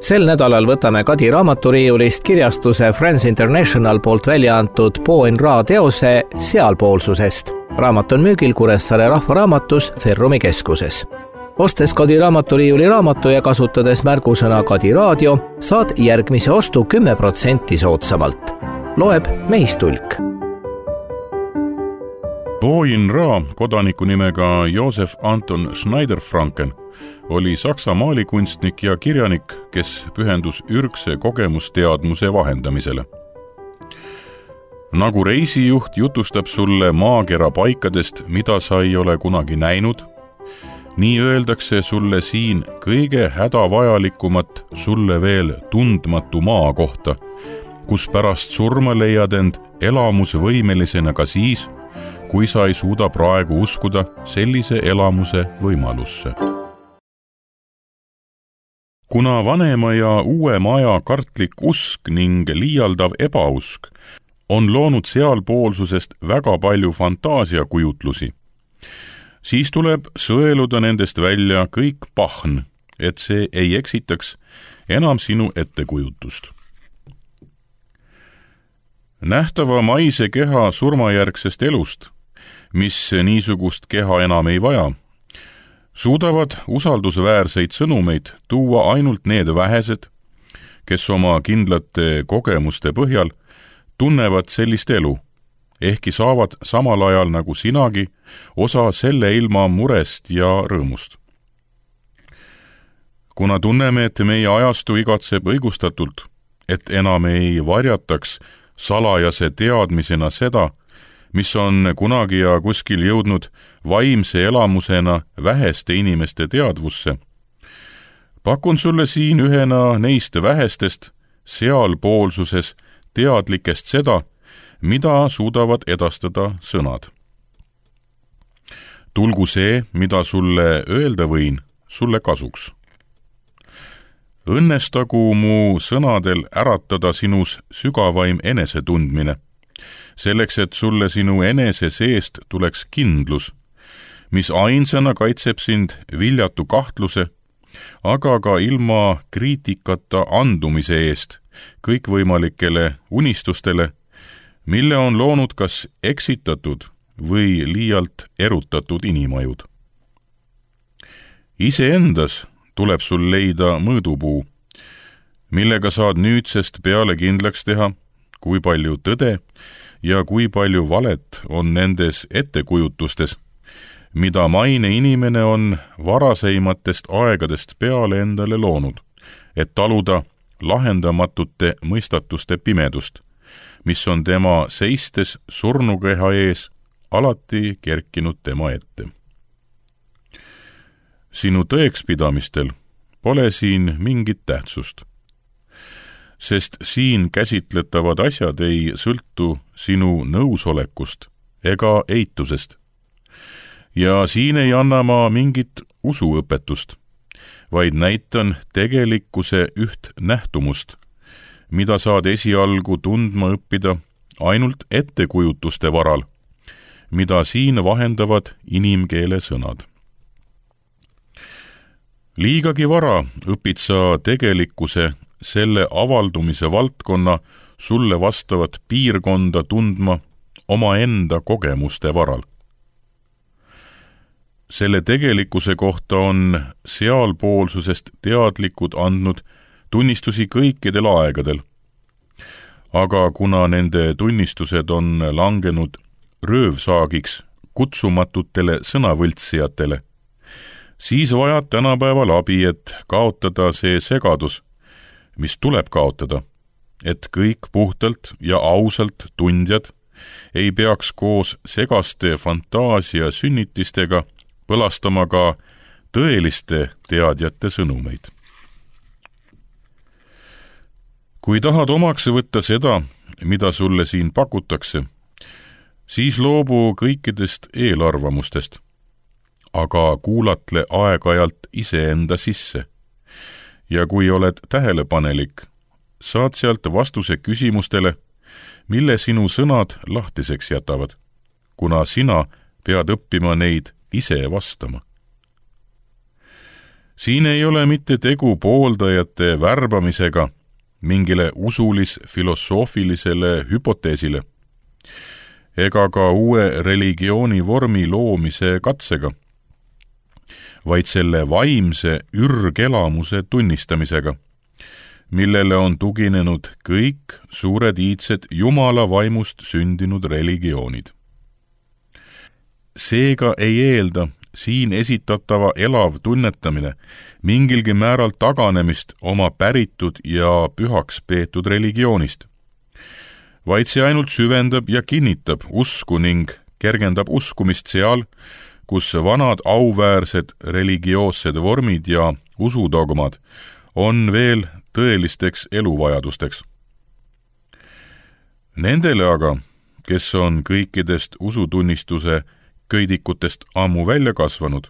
Sel nädalal võtame Kadi raamaturiiulist kirjastuse Friends International poolt välja antud Po-N Ra teose Sealpoolsusest. Raamat on müügil Kuressaare Rahvaraamatus Ferrumi keskuses. Ostes Kadi raamaturiiuli raamatu ja kasutades märgusõna Kadi raadio, saad järgmise ostu 10% soodsamalt. Loeb Meistulk. Po-N Ra, kodaniku nimega Josef Anton Schneider-Franken, oli saksa maalikunstnik ja kirjanik, kes pühendus ürgse kogemusteadmuse vahendamisele. Nagu reisijuht jutustab sulle maakera paikadest, mida sa ei ole kunagi näinud, nii öeldakse sulle siin kõige hädavajalikumat sulle veel tundmatu maa kohta, kus pärast surma leiad end elamusvõimelisena ka siis, kui sa ei suuda praegu uskuda sellise elamuse võimalusse. Kuna vanema ja uue maja kartlik usk ning liialdav ebausk on loonud sealpoolsusest väga palju fantaasiakujutlusi, siis tuleb sõeluda nendest välja kõik pahn, et see ei eksitaks enam sinu ettekujutust. Nähtava maise keha surmajärgsest elust, mis niisugust keha enam ei vaja, suudavad usaldusväärseid sõnumeid tuua ainult need vähesed, kes oma kindlate kogemuste põhjal tunnevad sellist elu, ehkki saavad samal ajal nagu sinagi osa selle ilma murest ja rõõmust. Kuna tunneme, et meie ajastu igatseb õigustatult, et enam ei varjataks salajase teadmisena seda, mis on kunagi ja kuskil jõudnud vaimse elamusena väheste inimeste teadvusse, pakun sulle siin ühena neist vähestest sealpoolsuses teadlikest seda, mida suudavad edastada sõnad. Tulgu see, mida sulle öelda võin, sulle kasuks. Õnnestagu mu sõnadel äratada sinus sügavaim enesetundmine, selleks, et sulle sinu enese seest tuleks kindlus, mis ainsana kaitseb sind viljatu kahtluse, aga ka ilma kriitikata andumise eest kõikvõimalikele unistustele, mille on loonud kas eksitatud või liialt erutatud inimajud. Iseendas tuleb sul leida mõõdupuu, millega saad nüüdsest peale kindlaks teha, kui palju tõde ja kui palju valet on nendes ettekujutustes, mida maine inimene on varaseimatest aegadest peale endale loonud, et taluda lahendamatute mõistatuste pimedust, mis on tema seistes surnukeha ees alati kerkinud tema ette. Sinu tõekspidamistel pole siin mingit tähtsust, sest siin käsitletavad asjad ei sõltu sinu nõusolekust ega eitusest. Ja siin ei anna ma mingit usuõpetust, vaid näitan tegelikkuse üht nähtumust, mida saad esialgu tundma õppida ainult ettekujutuste varal, mida siin vahendavad inimkeele sõnad. Liigagi vara õpid sa tegelikkuse selle avaldumise valdkonna sulle vastavat piirkonda tundma omaenda kogemuste varal. Selle tegelikkuse kohta on sealpoolsusest teadlikud andnud tunnistusi kõikidel aegadel, aga kuna nende tunnistused on langenud röövsaagiks kutsumatutele sõnavõltsijatele, siis vajad tänapäeval abi, et kaotada see segadus, mis tuleb kaotada, et kõik puhtalt ja ausalt tundjad ei peaks koos segaste fantaasia sünnitistega põlastama ka tõeliste teadjate sõnumeid. Kui tahad omaks võtta seda, mida sulle siin pakutakse, siis loobu kõikidest eelarvamustest, aga kuulatle aeg-ajalt iseenda sisse. Ja kui oled tähelepanelik, saad sealt vastuse küsimustele, mille sinu sõnad lahtiseks jätavad, kuna sina pead õppima neid ise vastama. Siin ei ole mitte tegu pooldajate värbamisega mingile usulis-filosoofilisele hüpoteesile ega ka uue religiooni vormi loomise katsega, vaid selle vaimse ürgelamuse tunnistamisega, millele on tuginenud kõik suured iidsed Jumala vaimust sündinud religioonid. Seega ei eelda siin esitatava elav tunnetamine mingilgi määral taganemist oma päritud ja pühaks peetud religioonist, vaid see ainult süvendab ja kinnitab usku ning kergendab uskumist seal, kus vanad auväärsed religioossed vormid ja usudogmad on veel tõelisteks eluvajadusteks. Nendele aga, kes on kõikidest usutunnistuse köidikutest ammu välja kasvanud,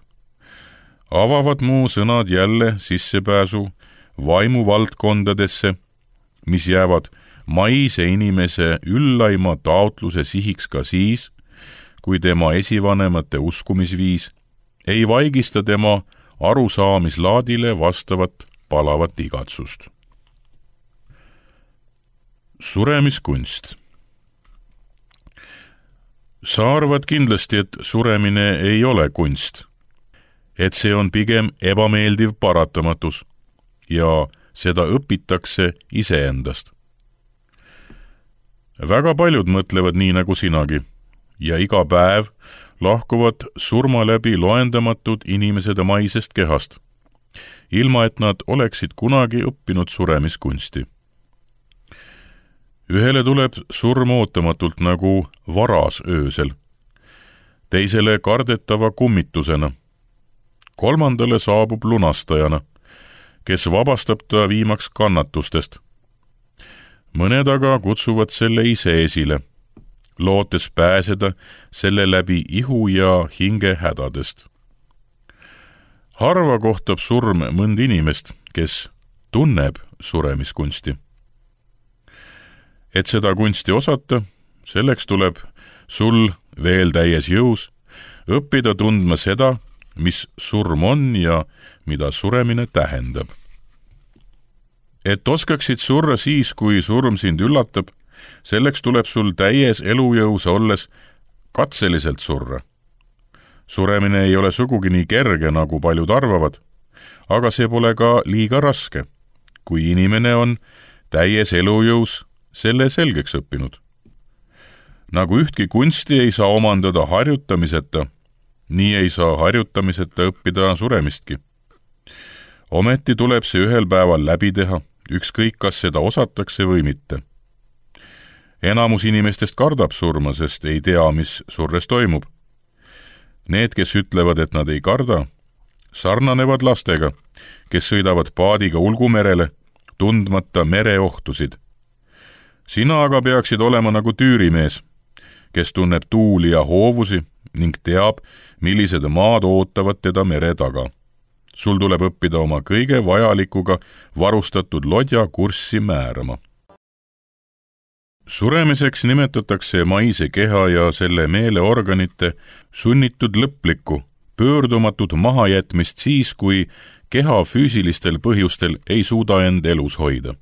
avavad mu sõnad jälle sissepääsu vaimuvaldkondadesse, mis jäävad maise inimese üllaima taotluse sihiks ka siis, kui tema esivanemate uskumisviis ei vaigista tema arusaamislaadile vastavat palavat igatsust. Suremiskunst. Sa arvad kindlasti, et suremine ei ole kunst, et see on pigem ebameeldiv paratamatus ja seda õpitakse iseendast. Väga paljud mõtlevad nii nagu sinagi ja iga päev lahkuvad surma läbi loendamatud inimesed maisest kehast, ilma et nad oleksid kunagi õppinud suremiskunsti. Ühele tuleb surm ootamatult nagu varas öösel, teisele kardetava kummitusena, kolmandale saabub lunastajana, kes vabastab ta viimaks kannatustest. Mõned aga kutsuvad selle ise esile, lootes pääseda selle läbi ihu ja hinge hädadest. Harva kohtab surm mõnd inimest, kes tunneb suremiskunsti. Et seda kunsti osata, selleks tuleb sul veel täies jõus õppida tundma seda, mis surm on ja mida suremine tähendab. Et oskaksid surra siis, kui surm sind üllatab, selleks tuleb sul täies elujõus olles katseliselt surra. Suremine ei ole sugugi nii kerge, nagu paljud arvavad, aga see pole ka liiga raske, kui inimene on täies elujõus selle selgeks õppinud. Nagu ühtki kunsti ei saa omandada harjutamiseta, nii ei saa harjutamiseta õppida suremistki. Ometi tuleb see ühel päeval läbi teha, ükskõik kas seda osatakse või mitte. Enamus inimestest kardab surma, sest ei tea, mis surres toimub. Need, kes ütlevad, et nad ei karda, sarnanevad lastega, kes sõidavad paadiga ulgumerele, tundmata mereohtusid. Sina aga peaksid olema nagu tüürimees, kes tunneb tuuli ja hoovusi ning teab, millised maad ootavad teda mere taga. Sul tuleb õppida oma kõige vajalikuga varustatud lodja kurssi määrama. Suremiseks nimetatakse maise keha ja selle meeleorganite sunnitud lõplikku, pöördumatut mahajätmist siis, kui keha füüsilistel põhjustel ei suuda end elus hoida.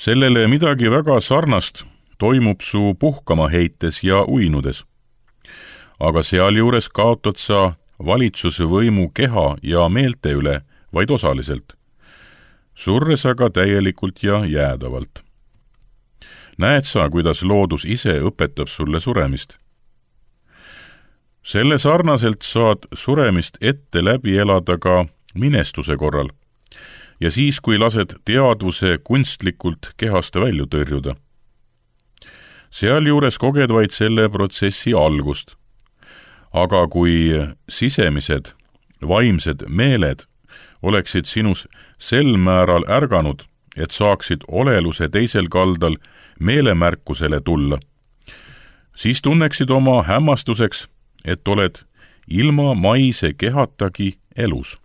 Sellele midagi väga sarnast toimub su puhkama heites ja uinudes. Aga sealjuures kaotad sa valitsusvõimu keha ja meelte üle vaid osaliselt, surres aga täielikult ja jäädavalt. Näed sa, kuidas loodus ise õpetab sulle suremist? Selle sarnaselt saad suremist ette läbi elada ka minestuse korral ja siis, kui lased teadvuse kunstlikult kehast välja tõrjuda. Sealjuures koged vaid selle protsessi algust. Aga kui sisemised, vaimsed meeled oleksid sinus sel määral ärganud, et saaksid oleluse teisel kaldal meelemärkusele tulla, siis tunneksid oma hämmastuseks, et oled ilma maise kehatagi elus.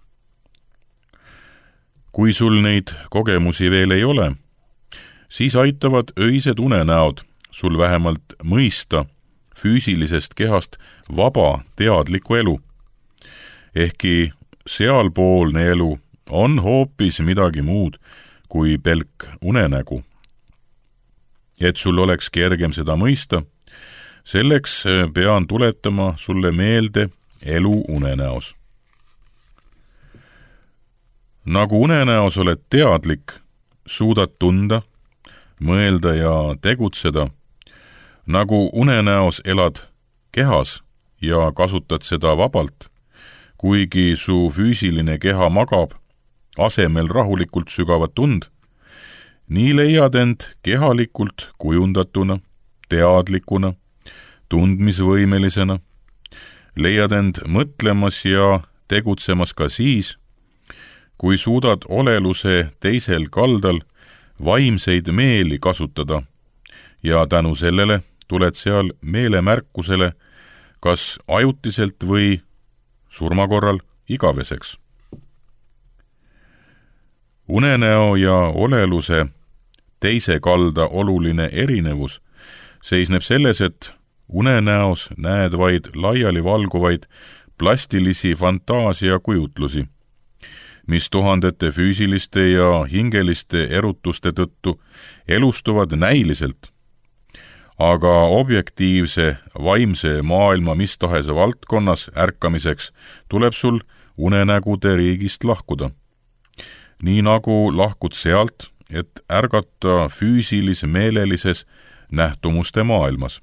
Kui sul neid kogemusi veel ei ole, siis aitavad öised unenäod sul vähemalt mõista füüsilisest kehast vaba teadlikku elu, ehkki sealpoolne elu on hoopis midagi muud kui pelk unenägu. Et sul oleks kergem seda mõista, selleks pean tuletama sulle meelde elu unenäos. Nagu unenäos oled teadlik, suudad tunda, mõelda ja tegutseda, nagu unenäos elad kehas ja kasutad seda vabalt, kuigi su füüsiline keha magab, asemel rahulikult sügavat tund, nii leiad end kehalikult kujundatuna, teadlikuna, tundmisvõimelisena, leiad end mõtlemas ja tegutsemas ka siis, kui suudad oleluse teisel kaldal vaimseid meeli kasutada ja tänu sellele tuled seal meelemärkusele kas ajutiselt või surma korral igaveseks. Unenäo ja oleluse teise kalda oluline erinevus seisneb selles, et unenäos näed vaid laiali valguvaid plastilisi fantaasiakujutlusi, mis tuhandete füüsiliste ja hingeliste erutuste tõttu elustuvad näiliselt, aga objektiivse vaimse maailma mis tahes valdkonnas ärkamiseks tuleb sul unenägude riigist lahkuda. Nii nagu lahkud sealt, et ärgata füüsilis-meelelises nähtumuste maailmas.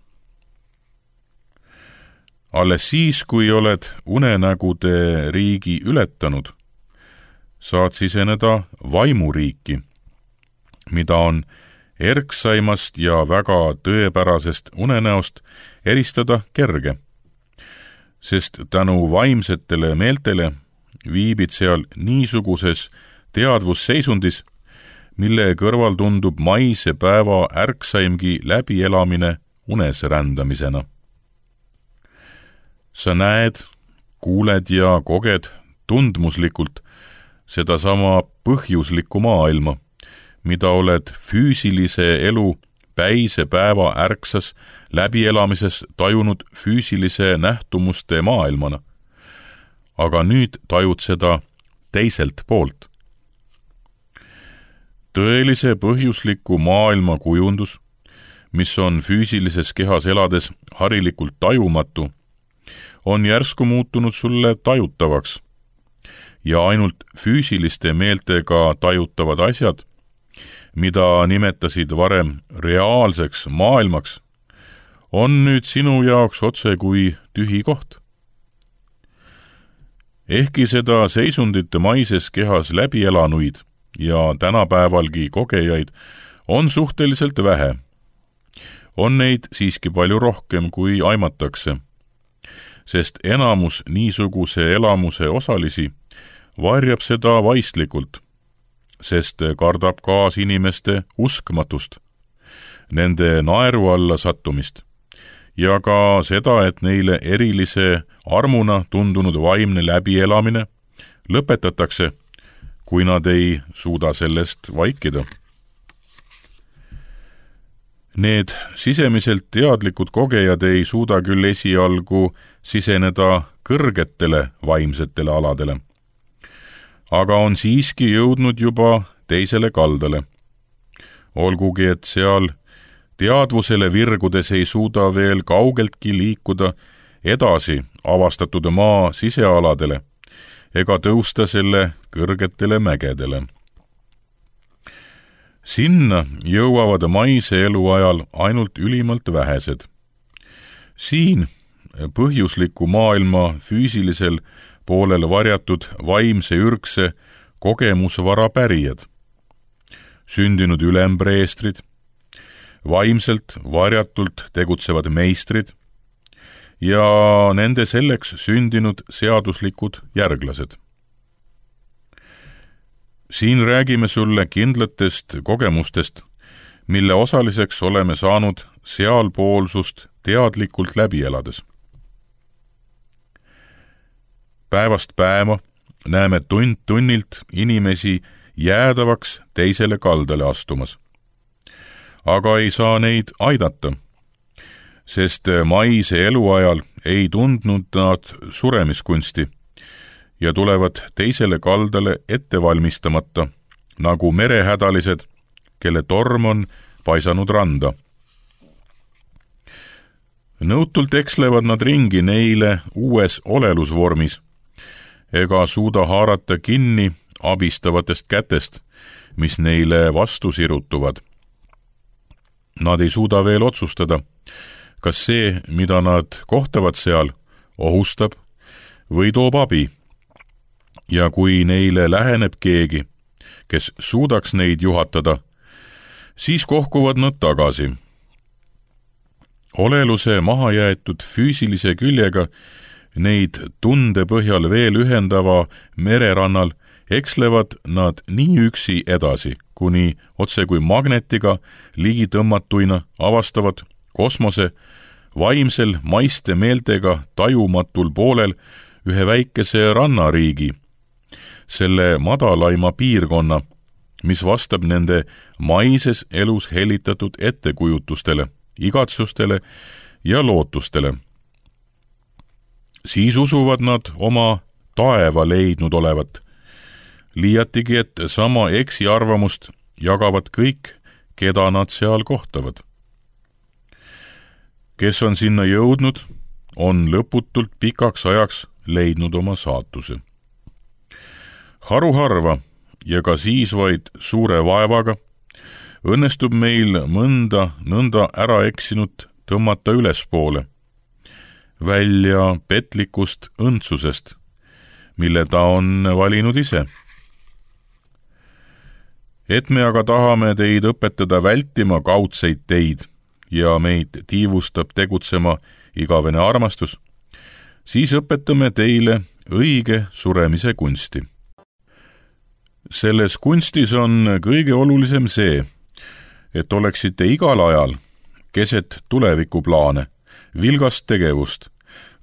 Alles siis, kui oled unenägude riigi ületanud, saad siseneda vaimuriiki, mida on erksaimast ja väga tõepärasest unenäost eristada kerge, sest tänu vaimsetele meeltele viibid seal niisuguses teadvusseisundis, mille kõrval tundub maise päeva ärksaimgi läbielamine unes rändamisena. Sa näed, kuuled ja koged tundmuslikult sedasama põhjuslikku maailma, mida oled füüsilise elu päise päeva ärksas läbielamises tajunud füüsilise nähtumuste maailmana. Aga nüüd tajud seda teiselt poolt. Tõelise põhjusliku maailma kujundus, mis on füüsilises kehas elades harilikult tajumatu, on järsku muutunud sulle tajutavaks ja ainult füüsiliste meeltega tajutavad asjad, mida nimetasid varem reaalseks maailmaks, on nüüd sinu jaoks otse kui tühi koht. Ehkki seda seisundite maises kehas läbi elanuid ja tänapäevalgi kogejaid on suhteliselt vähe, on neid siiski palju rohkem kui aimatakse, sest enamus niisuguse elamuse osalisi varjab seda vaistlikult, sest kardab kaasinimeste uskmatust, nende naeru alla sattumist ja ka seda, et neile erilise armuna tundunud vaimne läbielamine lõpetatakse, kui nad ei suuda sellest vaikida. Need sisemiselt teadlikud kogejad ei suuda küll esialgu siseneda kõrgetele vaimsetele aladele, aga on siiski jõudnud juba teisele kaldale. Olgugi, et seal teadvusele virgudes ei suuda veel kaugeltki liikuda edasi avastatud maa sisealadele ega tõusta selle kõrgetele mägedele. Sinna jõuavad maise elu ajal ainult ülimalt vähesed. Siin põhjusliku maailma füüsilisel poolel varjatud vaimse ürgse kogemusvara pärijad, sündinud ülempreestrid, vaimselt varjatult tegutsevad meistrid ja nende selleks sündinud seaduslikud järglased. Siin räägime sulle kindlatest kogemustest, mille osaliseks oleme saanud sealpoolsust teadlikult läbi elades. Päevast päeva näeme tund tunnilt inimesi jäädavaks teisele kaldale astumas. Aga ei saa neid aidata, sest maise eluajal ei tundnud nad suremiskunsti ja tulevad teisele kaldale ette valmistamata, nagu merehädalised, kelle torm on paisanud randa. Nõutult ekslevad nad ringi neile uues olelusvormis, ega suuda haarata kinni abistavatest kätest, mis neile vastu sirutuvad. Nad ei suuda veel otsustada, kas see, mida nad kohtavad seal, ohustab või toob abi. Ja kui neile läheneb keegi, kes suudaks neid juhatada, siis kohkuvad nad tagasi. Oleluse mahajäetud füüsilise küljega neid tunde põhjal veel ühendava mererannal ekslevad nad nii üksi edasi, kuni otse kui magnetiga ligi tõmmatuina avastavad kosmose vaimsel maiste meeltega tajumatul poolel ühe väikese rannariigi, selle madalaima piirkonna, mis vastab nende maises elus helitatud ettekujutustele, igatsustele ja lootustele. Siis usuvad nad oma taeva leidnud olevat, liiatigi, et sama eksiarvamust jagavad kõik, keda nad seal kohtavad. Kes on sinna jõudnud, on lõputult pikaks ajaks leidnud oma saatuse. Haruharva ja ka siis vaid suure vaevaga õnnestub meil mõnda nõnda ära eksinut tõmmata ülespoole, välja petlikust õndsusest, mille ta on valinud ise. Et me aga tahame teid õpetada vältima kaudseid teid ja meid tiivustab tegutsema igavene armastus, siis õpetame teile õige suremise kunsti. Selles kunstis on kõige olulisem see, et oleksite igal ajal, keset tulevikuplaane, vilgast tegevust,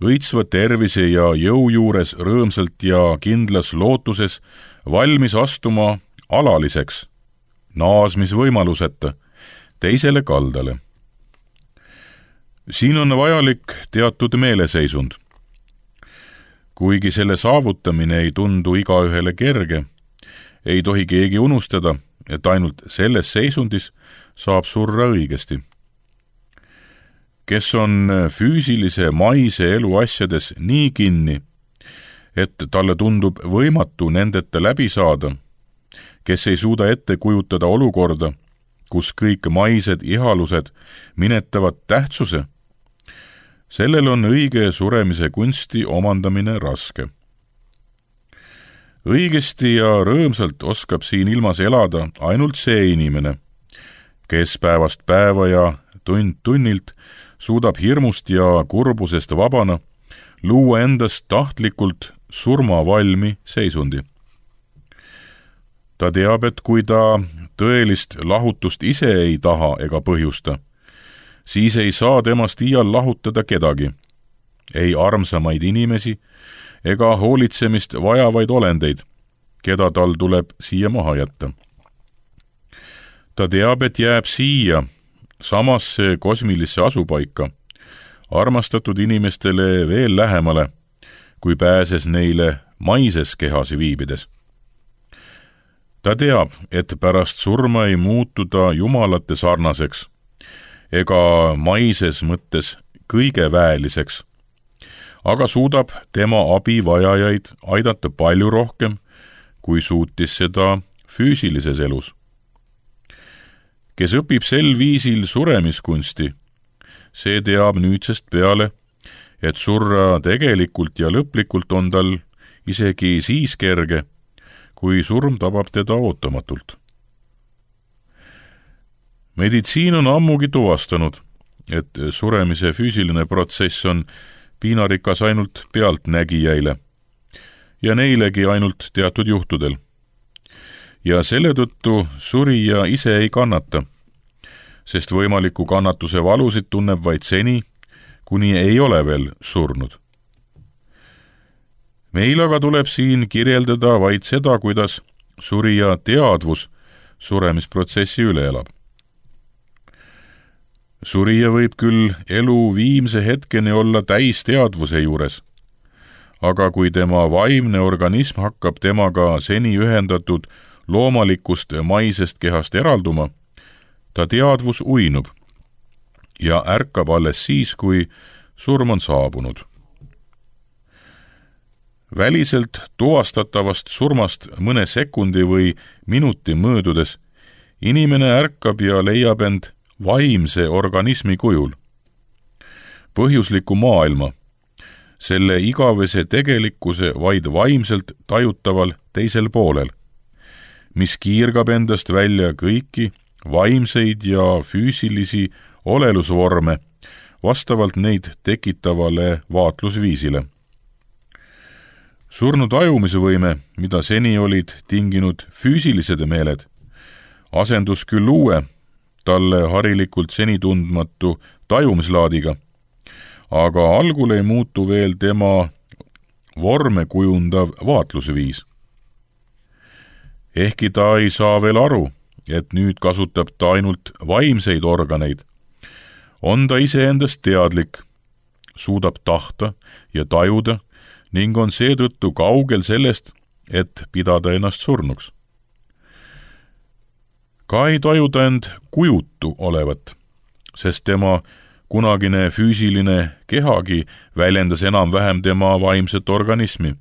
õitsva tervise ja jõu juures rõõmsalt ja kindlas lootuses valmis astuma alaliseks, naasmisvõimaluseta, teisele kaldale. Siin on vajalik teatud meeleseisund. Kuigi selle saavutamine ei tundu igaühele kerge, ei tohi keegi unustada, et ainult selles seisundis saab surra õigesti. Kes on füüsilise maise elu asjades nii kinni, et talle tundub võimatu nendeta läbi saada, kes ei suuda ette kujutada olukorda, kus kõik maised ihalused minetavad tähtsuse, sellel on õige suremise kunsti omandamine raske. Õigesti ja rõõmsalt oskab siin ilmas elada ainult see inimene, kes päevast päeva ja tund tunnilt suudab hirmust ja kurbusest vabana luua endast tahtlikult surmavalmi seisundi. Ta teab, et kui ta tõelist lahutust ise ei taha ega põhjusta, siis ei saa temast iial lahutada kedagi, ei armsamaid inimesi ega hoolitsemist vajavaid olendeid, keda tal tuleb siia maha jätta. Ta teab, et jääb siia, samasse kosmilisse asupaika, armastatud inimestele veel lähemale, kui pääses neile maises kehas viibides. Ta teab, et pärast surma ei muutu ta jumalate sarnaseks ega maises mõttes kõige väeliseks, aga suudab tema abivajajaid aidata palju rohkem, kui suutis seda füüsilises elus. Kes õpib sel viisil suremiskunsti, see teab nüüdsest peale, et surra tegelikult ja lõplikult on tal isegi siis kerge, kui surm tabab teda ootamatult. Meditsiin on ammugi tuvastanud, et suremise füüsiline protsess on piinarikas ainult pealtnägijaile ja neilegi ainult teatud juhtudel. Ja selle tõttu surija ise ei kannata, sest võimaliku kannatuse valusid tunneb vaid seni, kuni ei ole veel surnud. Meil aga tuleb siin kirjeldada vaid seda, kuidas surija teadvus suremisprotsessi üle elab. Surija võib küll elu viimse hetkeni olla täis teadvuse juures, aga kui tema vaimne organism hakkab temaga seni ühendatud loomalikust maisest kehast eralduma, ta teadvus uinub ja ärkab alles siis, kui surm on saabunud. Väliselt tuvastatavast surmast mõne sekundi või minuti möödudes inimene ärkab ja leiab end vaimse organismi kujul, põhjusliku maailma, selle igavese tegelikkuse vaid vaimselt tajutaval teisel poolel, mis kiirgab endast välja kõiki vaimseid ja füüsilisi olelusvorme vastavalt neid tekitavale vaatlusviisile. Surnu tajumise võime, mida seni olid tinginud füüsilised meeled, asendus küll uue, talle harilikult seni tundmatu tajumislaadiga, aga algul ei muutu veel tema vorme kujundav vaatlusviis. Ehkki ta ei saa veel aru, et nüüd kasutab ta ainult vaimseid organeid, on ta iseendast teadlik, suudab tahta ja tajuda ning on seetõttu kaugel sellest, et pidada ennast surnuks. Ka ei taju ta end kujutu olevat, sest tema kunagine füüsiline kehagi väljendas enam-vähem tema vaimset organismi,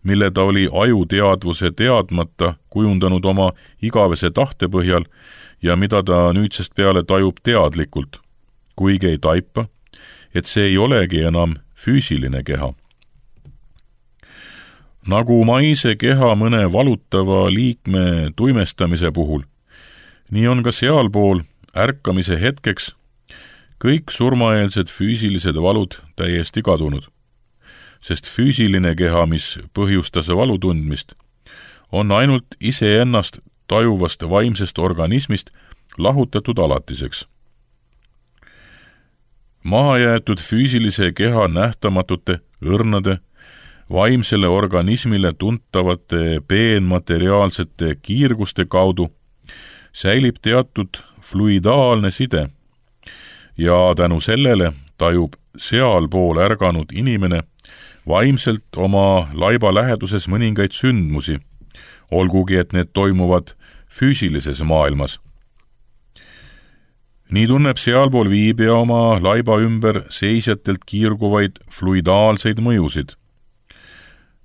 mille ta oli ajuteadvuse teadmata kujundanud oma igavese tahte põhjal ja mida ta nüüdsest peale tajub teadlikult, kuigi ei taipa, et see ei olegi enam füüsiline keha. Nagu maise keha mõne valutava liikme tuimestamise puhul, nii on ka sealpool ärkamise hetkeks kõik surmaeelsed füüsilised valud täiesti kadunud, sest füüsiline keha, mis põhjustas valu tundmist, on ainult iseennast tajuvast vaimsest organismist lahutatud alatiseks. Mahajäetud füüsilise keha nähtamatute, õrnade, vaimsele organismile tuntavate peenmateriaalsete kiirguste kaudu säilib teatud fluidaalne side ja tänu sellele tajub sealpool ärganud inimene vaimselt oma laiba läheduses mõningaid sündmusi, olgugi et need toimuvad füüsilises maailmas. Nii tunneb sealpool viibija oma laiba ümber seisjatelt kiirguvaid fluidaalseid mõjusid.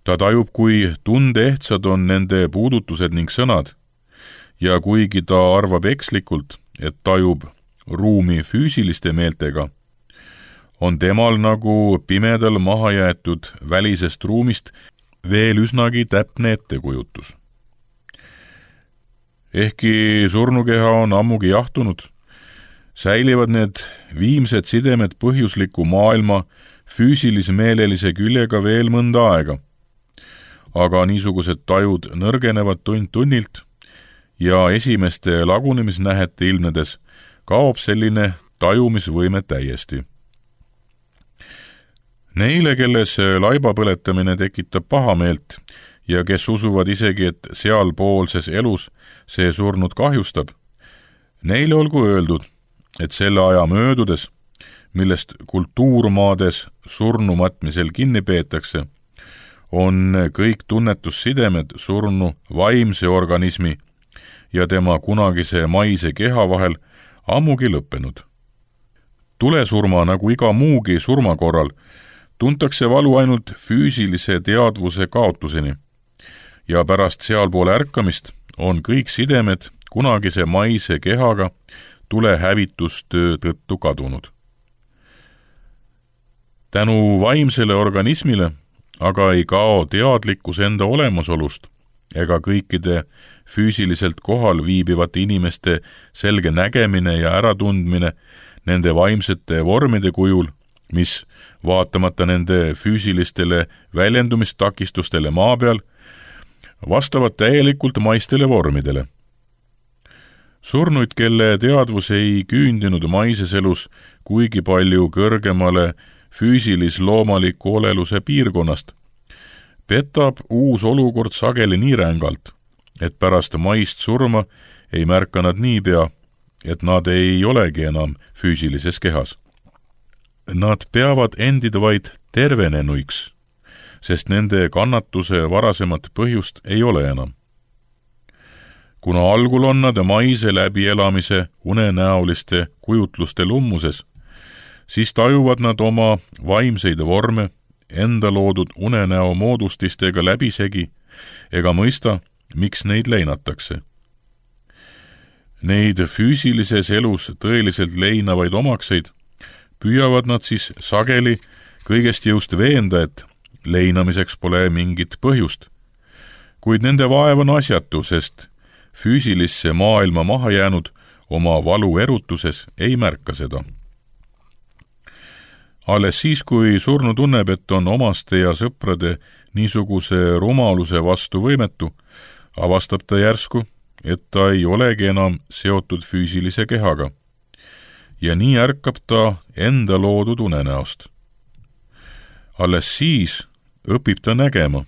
Ta tajub, kui tundeehtsad on nende puudutused ning sõnad, ja kuigi ta arvab ekslikult, et tajub ruumi füüsiliste meeltega, on temal nagu pimedal mahajäetud välisest ruumist veel üsnagi täpne ettekujutus. Ehkki surnukeha on ammugi jahtunud, säilivad need viimsed sidemed põhjusliku maailma füüsilis-meelelise küljega veel mõnda aega, aga niisugused tajud nõrgenevad tund tunnilt ja esimeste lagunemisnähete ilmnedes kaob selline tajumisvõime täiesti. Neile, kelles laiba põletamine tekitab pahameelt ja kes usuvad isegi, et sealpoolses elus see surnud kahjustab, neile olgu öeldud, et selle aja möödudes, millest kultuurmaades surnu matmisel kinni peetakse, on kõik tunnetussidemed surnu vaimse organismi ja tema kunagise maise keha vahel ammugi lõppenud. Tulesurma nagu iga muugi surma korral tuntakse valu ainult füüsilise teadvuse kaotuseni ja pärast sealpoole ärkamist on kõik sidemed kunagise maise kehaga tulehävitustöö tõttu kadunud. Tänu vaimsele organismile aga ei kao teadlikkus enda olemasolust ega kõikide füüsiliselt kohal viibivate inimeste selge nägemine ja äratundmine nende vaimsete vormide kujul, mis vaatamata nende füüsilistele väljendumistakistustele maa peal, vastavad täielikult maistele vormidele. Surnuid, kelle teadvus ei küündinud maises elus kuigi palju kõrgemale füüsilis-loomaliku oleluse piirkonnast, petab uus olukord sageli nii rängalt, et pärast maist surma ei märka nad niipea, et nad ei olegi enam füüsilises kehas. Nad peavad endid vaid tervenenuiks, sest nende kannatuse varasemat põhjust ei ole enam. Kuna algul on nad maise läbielamise unenäoliste kujutluste lummuses, siis tajuvad nad oma vaimseid vorme enda loodud unenäo moodustistega läbisegi ega mõista, miks neid leinatakse. Neid füüsilises elus tõeliselt leinavaid omakseid püüavad nad siis sageli kõigest jõust veenda, et leinamiseks pole mingit põhjust, kuid nende vaev on asjatu, sest füüsilisse maailma maha jäänud oma valu erutuses ei märka seda. Alles siis, kui surnu tunneb, et on omaste ja sõprade niisuguse rumaluse vastu võimetu, avastab ta järsku, et ta ei olegi enam seotud füüsilise kehaga. Ja nii ärkab ta enda loodud unenäost. Alles siis õpib ta nägema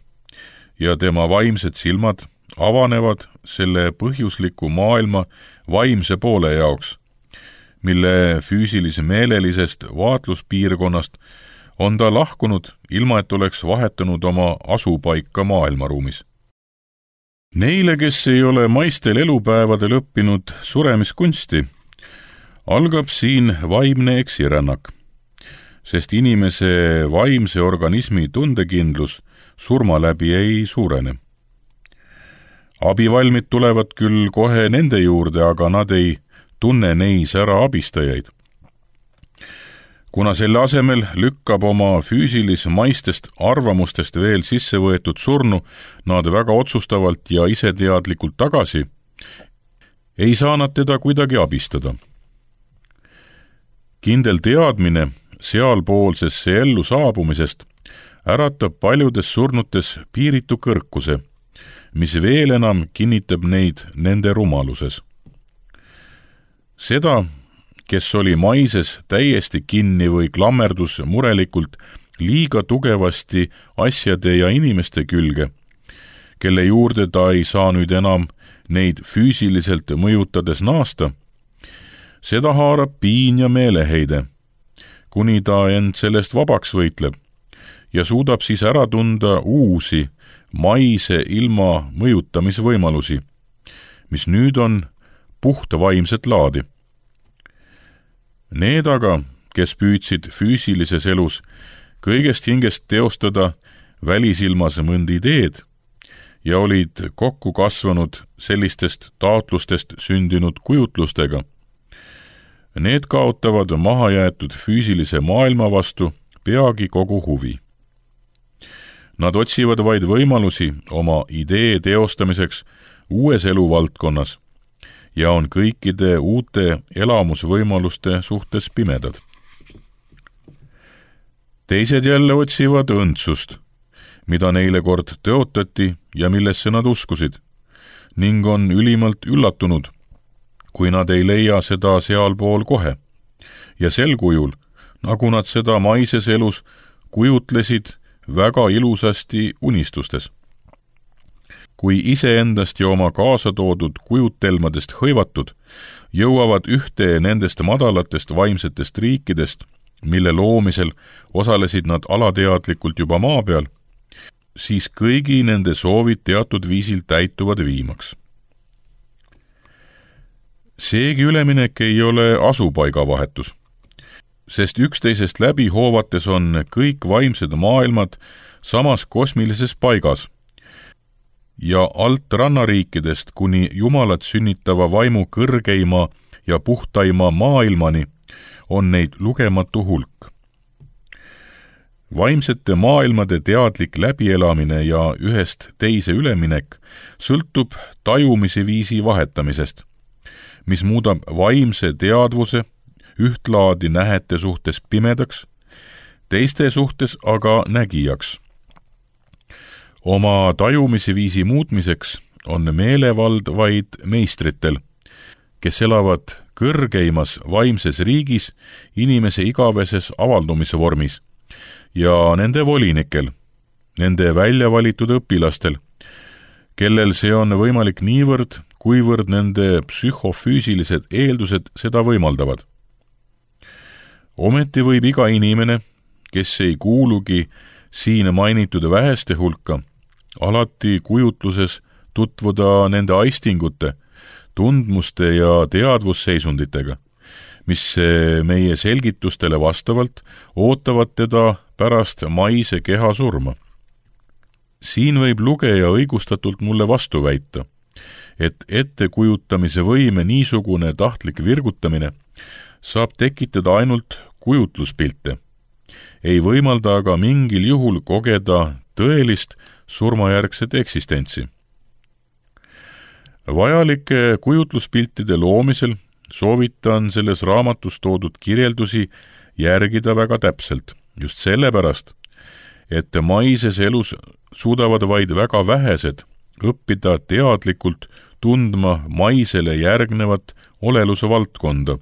ja tema vaimsed silmad avanevad selle põhjusliku maailma vaimse poole jaoks, mille füüsilis-meelelisest vaatluspiirkonnast on ta lahkunud, ilma et oleks vahetanud oma asupaika maailmaruumis. Neile, kes ei ole maistel elupäevadel õppinud suremiskunsti, algab siin vaimne eksirännak, sest inimese vaimse organismi tundekindlus surma läbi ei suurene. Abivalmid tulevad küll kohe nende juurde, aga nad ei tunne neis ära abistajaid. Kuna selle asemel lükkab oma füüsilis-maistest arvamustest veel sisse võetud surnu nad väga otsustavalt ja iseteadlikult tagasi, ei saa nad teda kuidagi abistada. Kindel teadmine sealpoolsesse ellu saabumisest äratab paljudes surnutes piiritu kõrkuse, mis veel enam kinnitab neid nende rumaluses. Seda, kes oli maises täiesti kinni või klammerdus murelikult liiga tugevasti asjade ja inimeste külge, kelle juurde ta ei saa nüüd enam neid füüsiliselt mõjutades naasta, seda haarab piin ja meeleheide, kuni ta end sellest vabaks võitleb ja suudab siis ära tunda uusi maise ilma mõjutamisvõimalusi, mis nüüd on puhta vaimset laadi. Need aga, kes püüdsid füüsilises elus kõigest hingest teostada välisilmas mõnd ideed ja olid kokku kasvanud sellistest taotlustest sündinud kujutlustega, need kaotavad mahajäetud füüsilise maailma vastu peagi kogu huvi. Nad otsivad vaid võimalusi oma idee teostamiseks uues eluvaldkonnas ja on kõikide uute elamusvõimaluste suhtes pimedad. Teised jälle otsivad õndsust, mida neile kord tõotati ja millesse nad uskusid, ning on ülimalt üllatunud, kui nad ei leia seda sealpool kohe ja sel kujul, nagu nad seda maises elus kujutlesid väga ilusasti unistustes. Kui iseendast ja oma kaasa toodud kujutelmadest hõivatud, jõuavad ühte nendest madalatest vaimsetest riikidest, mille loomisel osalesid nad alateadlikult juba maa peal, siis kõigi nende soovid teatud viisil täituvad viimaks. Seegi üleminek ei ole asupaigavahetus, sest üksteisest läbi hoovates on kõik vaimsed maailmad samas kosmilises paigas ja alt rannariikidest kuni Jumalat sünnitava vaimu kõrgeima ja puhtaima maailmani on neid lugematu hulk. Vaimsete maailmade teadlik läbielamine ja ühest teise üleminek sõltub tajumise viisi vahetamisest, mis muudab vaimse teadvuse ühtlaadi nähete suhtes pimedaks, teiste suhtes aga nägijaks. Oma tajumise viisi muutmiseks on meelevald vaid meistritel, kes elavad kõrgeimas vaimses riigis inimese igaveses avaldumise vormis ja nende volinikel, nende väljavalitud õpilastel, kellel see on võimalik niivõrd, kuivõrd nende psühhofüüsilised eeldused seda võimaldavad. Ometi võib iga inimene, kes ei kuulugi siin mainitud väheste hulka, alati kujutluses tutvuda nende aistingute, tundmuste ja teadvusseisunditega, mis meie selgitustele vastavalt ootavad teda pärast maise keha surma. Siin võib lugeja õigustatult mulle vastu väita, et ettekujutamise võime niisugune tahtlik virgutamine saab tekitada ainult kujutluspilte, ei võimalda aga mingil juhul kogeda tõelist surmajärgset eksistentsi. Vajalike kujutluspiltide loomisel soovitan selles raamatus toodud kirjeldusi järgida väga täpselt, just sellepärast, et maises elus suudavad vaid väga vähesed õppida teadlikult tundma maisele järgnevat oleluse valdkonda.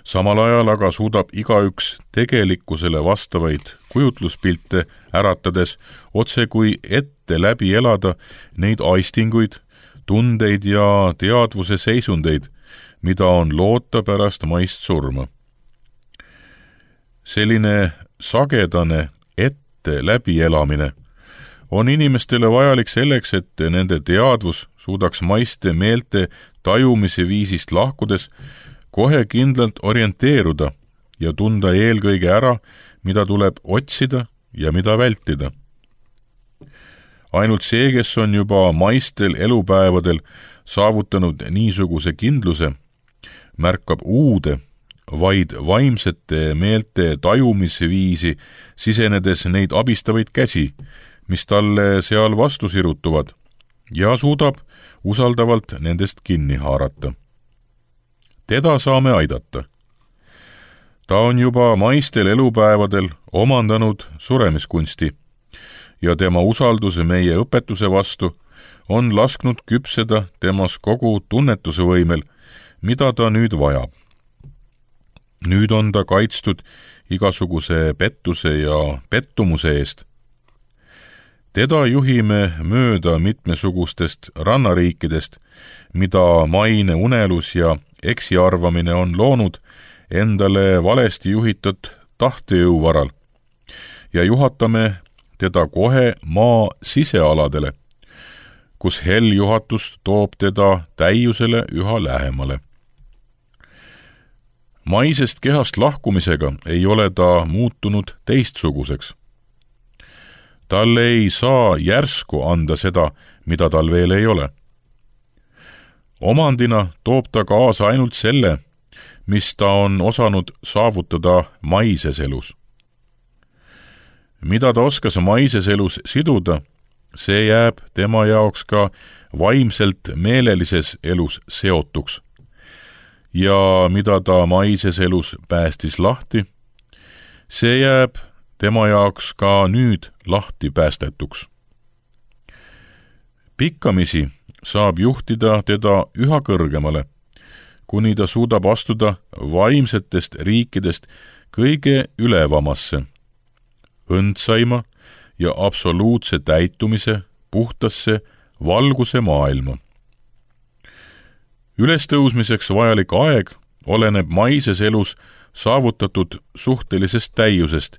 Samal ajal aga suudab igaüks tegelikkusele vastavaid kujutluspilte äratades otse kui ette läbi elada neid aistinguid, tundeid ja teadvuse seisundeid, mida on loota pärast maist surma. Selline sagedane ette läbi elamine on inimestele vajalik selleks, et nende teadvus suudaks maiste meelte tajumise viisist lahkudes kohe kindlalt orienteeruda ja tunda eelkõige ära, mida tuleb otsida ja mida vältida. Ainult see, kes on juba maistel elupäevadel saavutanud niisuguse kindluse, märkab uude, vaid vaimsete meelte tajumise viisi sisenedes neid abistavaid käsi, mis talle seal vastu sirutuvad ja suudab usaldavalt nendest kinni haarata. Teda saame aidata. Ta on juba maistel elupäevadel omandanud suremiskunsti ja tema usalduse meie õpetuse vastu on lasknud küpseda temas kogu tunnetuse võimel, mida ta nüüd vajab. Nüüd on ta kaitstud igasuguse pettuse ja pettumuse eest. Teda juhime mööda mitmesugustest rannariikidest, mida maine unelus ja eksiarvamine on loonud endale valesti juhitud tahtejõu varal ja juhatame teda kohe maa sisealadele, kus helljuhatus toob teda täiusele üha lähemale. Maisest kehast lahkumisega ei ole ta muutunud teistsuguseks. Talle ei saa järsku anda seda, mida tal veel ei ole. Omandina toob ta kaasa ainult selle, mis ta on osanud saavutada maises elus. Mida ta oskas maises elus siduda, see jääb tema jaoks ka vaimselt meelelises elus seotuks. Ja mida ta maises elus päästis lahti, see jääb tema jaoks ka nüüd lahti päästetuks. Pikkamisi saab juhtida teda üha kõrgemale, kuni ta suudab astuda vaimsetest riikidest kõige ülevamasse, õndsaima ja absoluutse täitumise puhtasse valguse maailma. Ülestõusmiseks vajalik aeg oleneb maises elus saavutatud suhtelisest täiusest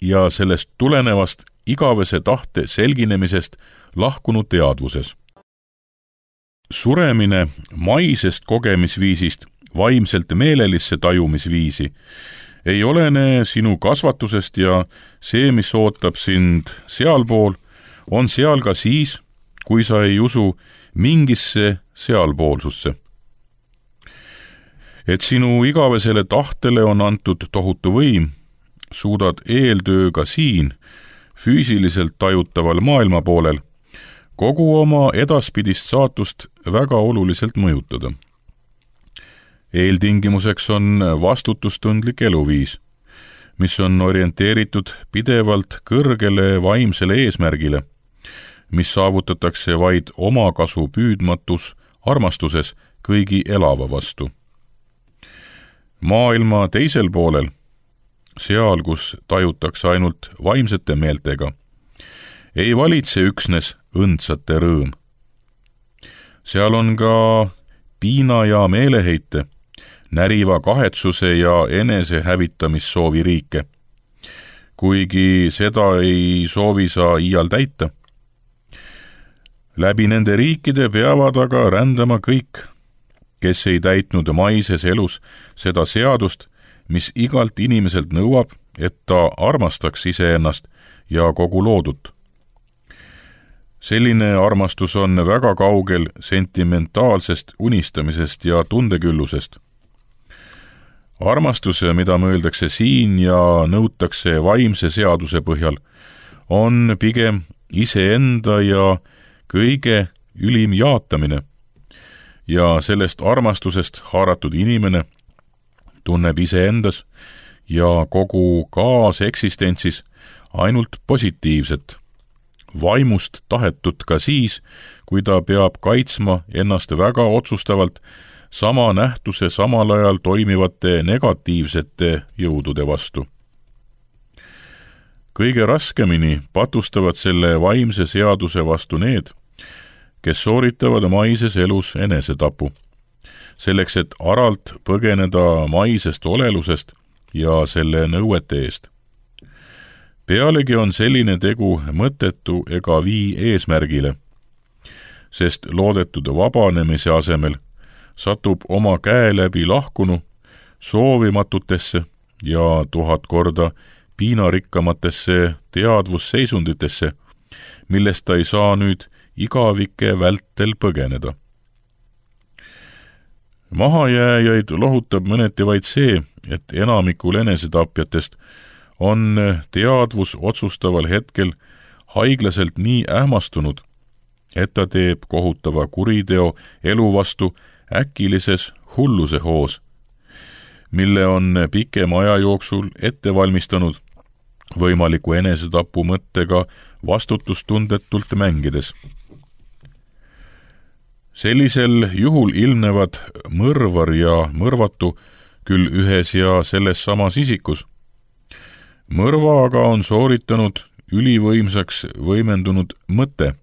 ja sellest tulenevast igavese tahte selginemisest lahkunud teadvuses. Suremine maisest kogemisviisist vaimselt meelelisse tajumisviisi ei olene sinu kasvatusest ja see, mis ootab sind sealpool, on seal ka siis, kui sa ei usu mingisse sealpoolsusse. Et sinu igavesele tahtele on antud tohutu võim, suudad eeltööga siin, füüsiliselt tajutaval maailmapoolel, kogu oma edaspidist saatust väga oluliselt mõjutada. Eeltingimuseks on vastutustundlik eluviis, mis on orienteeritud pidevalt kõrgele vaimsele eesmärgile, mis saavutatakse vaid omakasu püüdmatus armastuses kõigi elava vastu. Maailma teisel poolel, seal, kus tajutakse ainult vaimsete meeltega, ei valitse üksnes õndsate rõõm. Seal on ka piina ja meeleheite, näriva kahetsuse ja enese hävitamissoovi riike, kuigi seda ei soovi sa iial täita. Läbi nende riikide peavad aga rändama kõik, kes ei täitnud maises elus seda seadust, mis igalt inimeselt nõuab, et ta armastaks iseennast ja kogu loodut. Selline armastus on väga kaugel sentimentaalsest unistamisest ja tundeküllusest. Armastus, mida mõeldakse siin ja nõutakse vaimse seaduse põhjal, on pigem iseenda ja kõige ülim jaatamine ja sellest armastusest haaratud inimene tunneb iseendas ja kogu kaaseksistentsis ainult positiivset, vaimust tahetut ka siis, kui ta peab kaitsma ennast väga otsustavalt sama nähtuse samal ajal toimivate negatiivsete jõudude vastu. Kõige raskemini patustavad selle vaimse seaduse vastu need, kes sooritavad maises elus enesetapu, selleks et aralt põgeneda maisest olelusest ja selle nõuete eest. Pealegi on selline tegu mõttetu ega vii eesmärgile, sest loodetud vabanemise asemel satub oma käe läbi lahkunu soovimatutesse ja 1000 korda piinarikkamatesse teadvusseisunditesse, millest ta ei saa nüüd igavike vältel põgeneda. Mahajääjaid lohutab mõneti vaid see, et enamikul enesetapjatest on teadvus otsustaval hetkel haiglaselt nii ähmastunud, et ta teeb kohutava kuriteo elu vastu äkilises hulluse hoos, mille on pikema aja jooksul ette valmistanud võimaliku enesetapu mõttega vastutustundetult mängides. Sellisel juhul ilmnevad mõrvar ja mõrvatu küll ühes ja selles samas isikus. Mõrva aga on sooritanud ülivõimsaks võimendunud mõte,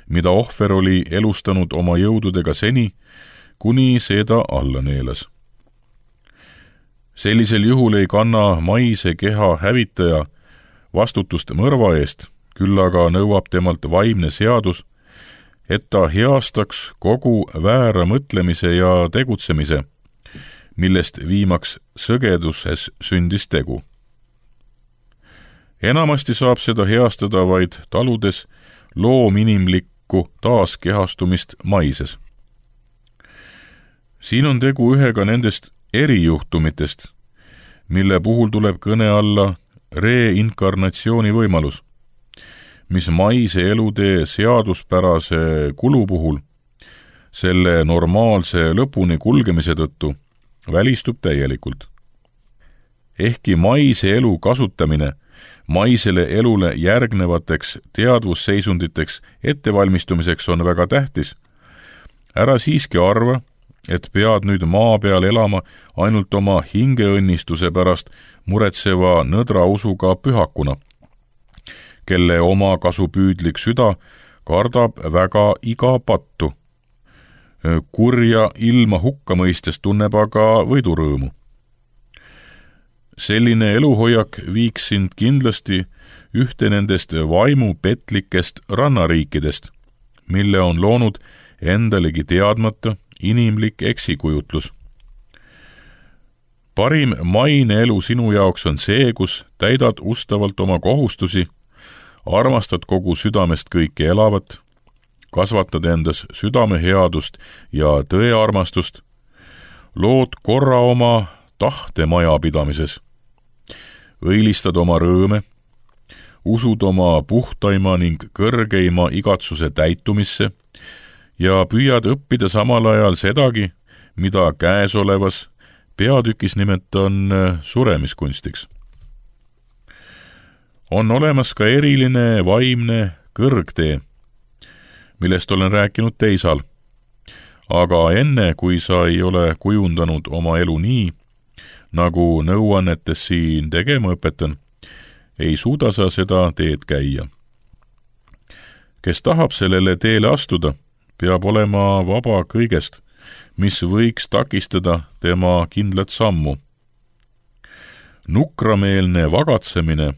mida ohver oli elustanud oma jõududega seni, kuni seda alla neelas. Sellisel juhul ei kanna maise keha hävitaja vastutust mõrva eest, küll aga nõuab temalt vaimne seadus, et ta heastaks kogu väära mõtlemise ja tegutsemise, millest viimaks sõgeduses sündis tegu. Enamasti saab seda heastada vaid taludes loominimlikku taaskehastumist maises. Siin on tegu ühega nendest erijuhtumitest, mille puhul tuleb kõne alla reinkarnatsiooni võimalus, mis maise elutee seaduspärase kulu puhul selle normaalse lõpuni kulgemise tõttu välistub täielikult. Ehkki maise elu kasutamine maisele elule järgnevateks teadvusseisunditeks ettevalmistumiseks on väga tähtis, ära siiski arva, et pead nüüd maa peal elama ainult oma hingeõnnistuse pärast muretseva nõdra usuga pühakuna, kelle oma kasupüüdlik süda kardab väga iga pattu. Kurja ilma hukkamõistes tunneb aga võidurõõmu. Selline eluhoiak viiks sind kindlasti ühte nendest vaimupetlikest rannariikidest, mille on loonud endalegi teadmata inimlik eksikujutlus. Parim maine elu sinu jaoks on see, kus täidad ustavalt oma kohustusi, armastad kogu südamest kõike elavat, kasvatad endas südameheadust ja tõearmastust, lood korra oma tahte majapidamises, õilistad oma rõõme, usud oma puhtaima ning kõrgeima igatsuse täitumisse ja püüad õppida samal ajal sedagi, mida käesolevas peatükis nimetan suremiskunstiks. On olemas ka eriline vaimne kõrgtee, millest olen rääkinud teisal, aga enne, kui sa ei ole kujundanud oma elu nii, nagu nõuannetes siin tegema õpetan, ei suuda sa seda teed käia. Kes tahab sellele teele astuda, peab olema vaba kõigest, mis võiks takistada tema kindlat sammu. Nukrameelne vagatsemine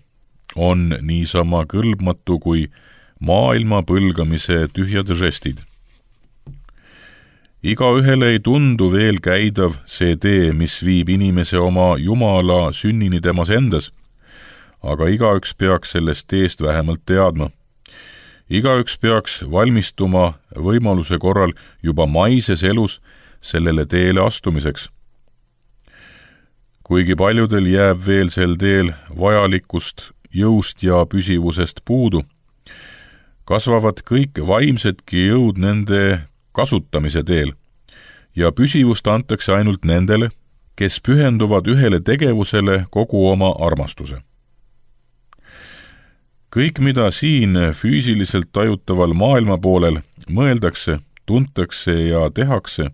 on niisama kõlbmatu kui maailma põlgamise tühjad žestid. Igaühele ei tundu veel käidav see tee, mis viib inimese oma Jumala sünnini temas endas, aga igaüks peaks sellest teest vähemalt teadma. Igaüks peaks valmistuma võimaluse korral juba maises elus sellele teele astumiseks. Kuigi paljudel jääb veel sel teel vajalikust jõust ja püsivusest puudu, kasvavad kõik vaimsedki jõud nende kasutamise teel ja püsivust antakse ainult nendele, kes pühenduvad ühele tegevusele kogu oma armastuse. Kõik, mida siin füüsiliselt tajutaval maailma poolel mõeldakse, tuntakse ja tehakse,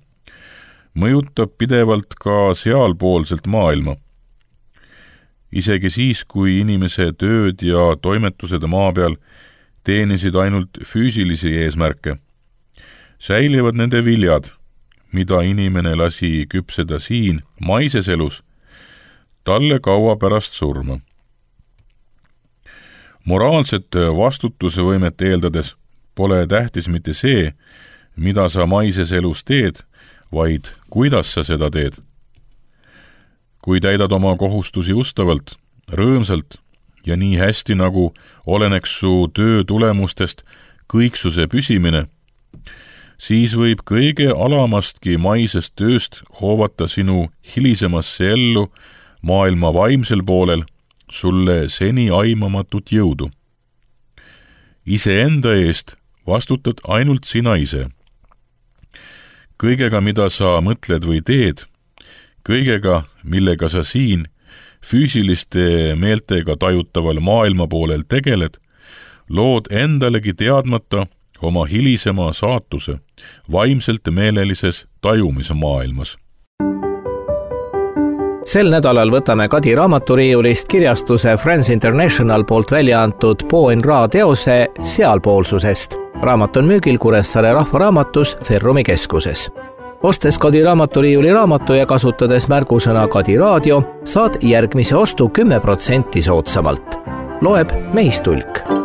mõjutab pidevalt ka sealpoolselt maailma. Isegi siis, kui inimese tööd ja toimetused maa peal teenisid ainult füüsilisi eesmärke, säilivad nende viljad, mida inimene lasi küpseda siin maises elus, talle kaua pärast surma. Moraalset vastutusvõimet eeldades pole tähtis mitte see, mida sa maises elus teed, vaid kuidas sa seda teed. Kui täidad oma kohustusi ustavalt, rõõmsalt ja nii hästi, nagu oleneks su töö tulemustest kõiksuse püsimine, siis võib kõige alamastki maisest tööst hoovata sinu hilisemasse ellu maailma vaimsel poolel sulle seni aimamatut jõudu. Iseenda eest vastutad ainult sina ise. Kõigega, mida sa mõtled või teed, kõigega, millega sa siin füüsiliste meeltega tajutaval maailma poolel tegeled, lood endalegi teadmata oma hilisema saatuse vaimselt meelelises tajumise maailmas. Sel nädalal võtame Kadi raamaturiiulist kirjastuse France International poolt välja antud Po en Ra teose Sealpoolsusest. Raamat on müügil Kuressaare Rahvaraamatus Ferrumi keskuses. Ostes Kadi raamaturiiuli raamatu ja kasutades märgusõna Kadi raadio, saad järgmise ostu 10% soodsamalt. Loeb Meistulk.